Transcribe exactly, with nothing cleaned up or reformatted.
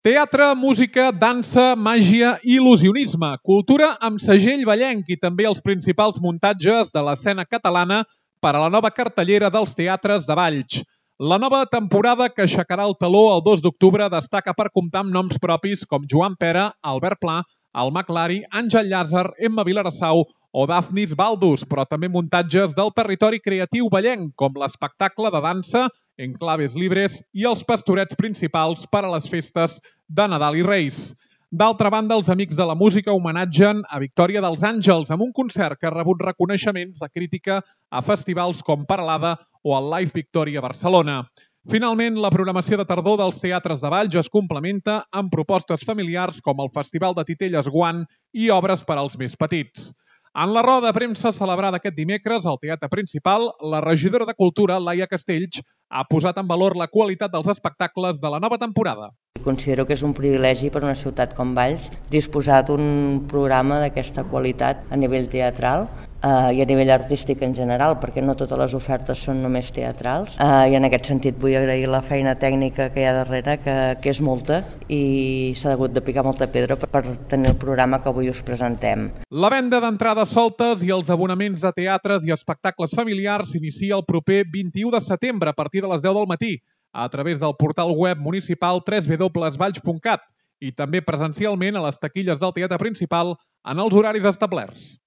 Teatre, música, dansa, màgia i il·lusionisme. Cultura amb segell vallenc i també els principals muntatges de l'escena catalana per a la nova cartellera dels teatres de Valls. La nova temporada que aixecarà el teló el dos d'octubre destaca per comptar amb noms propis com Joan Pera, Albert Pla, Alma Clari, Àngel Llàzer, Emma Vilarassau o Dafnis Baldus, però també muntatges del territori creatiu vallenc, com l'espectacle de dansa Enclaves Libres i els pastorets principals per a les festes de Nadal i Reis. D'altra banda, els Amics de la Música homenatgen a Victòria dels Àngels amb un concert que ha rebut reconeixements de crítica a festivals com Paralada o el Live Victòria Barcelona. Finalment, la programació de tardor dels teatres de Valls es complementa amb propostes familiars com el Festival de Titelles Guant i obres per als més petits. En la roda de premsa celebrada aquest dimecres al Teatre Principal, la regidora de Cultura, Laia Castells, ha posat en valor la qualitat dels espectacles de la nova temporada. Considero que és un privilegi per una ciutat com Valls disposar d'un programa d'aquesta qualitat a nivell teatral eh, i a nivell artístic en general, perquè no totes les ofertes són només teatrals. Eh, I en aquest sentit vull agrair la feina tècnica que hi ha darrere, que, que és molta, i s'ha hagut de picar molta pedra per, per tenir el programa que avui us presentem. La venda d'entrades soltes i els abonaments de teatres i espectacles familiars s'inicia el proper vint-i-u de setembre a partir de les deu del matí a través del portal web municipal w w w punt valls punt cat i també presencialment a les taquilles del Teatre Principal en els horaris establerts.